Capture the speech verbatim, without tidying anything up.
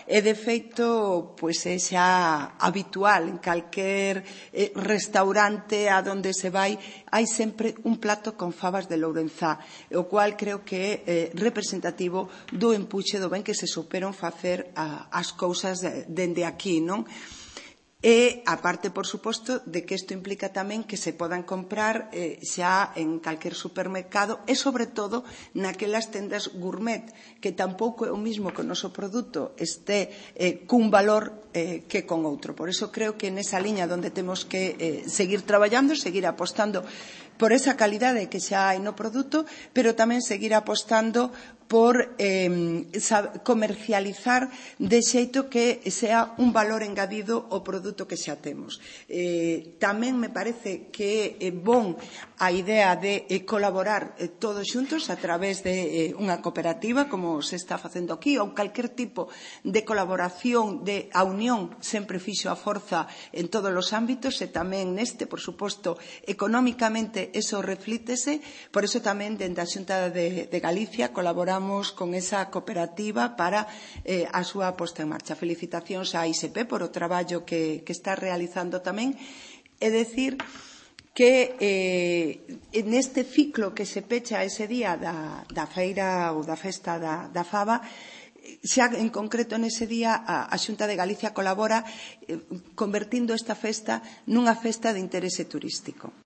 E, de feito, pois é xa habitual en calquer eh, restaurante a donde se vai, hai sempre un plato con fabas de Lourenzá, o cual creo que é eh, representativo do empuxe do ben que se superon facer a, as cousas de, dende aquí, non? E, aparte, por suposto, de que isto implica tamén que se podan comprar eh, xa en calquer supermercado e, sobre todo, naquelas tendas gourmet, que tampouco é o mismo que o noso produto este eh, cun valor eh, que con outro. Por iso creo que nesa liña donde temos que eh, seguir traballando, seguir apostando por esa calidade que xa hai no produto, pero tamén seguir apostando por eh, comercializar de xeito que sea un valor engadido ao produto que xa temos. Eh, tamén me parece que é bon a idea de eh, colaborar eh, todos xuntos a través de eh, unha cooperativa, como se está facendo aquí, ou calquer tipo de colaboración, de a unión sempre fixo a forza en todos os ámbitos e tamén neste, por suposto, económicamente eso reflítese, por eso tamén dende a Xunta de, de Galicia colaboramos con esa cooperativa para eh, a súa posta en marcha. Felicitacións á I S P por o traballo que, que está realizando tamén. É dicir que eh, neste ciclo que se pecha ese día da, da feira ou da festa da, da faba, xa en concreto nese día a, a Xunta de Galicia colabora eh, convertindo esta festa nunha festa de interese turístico.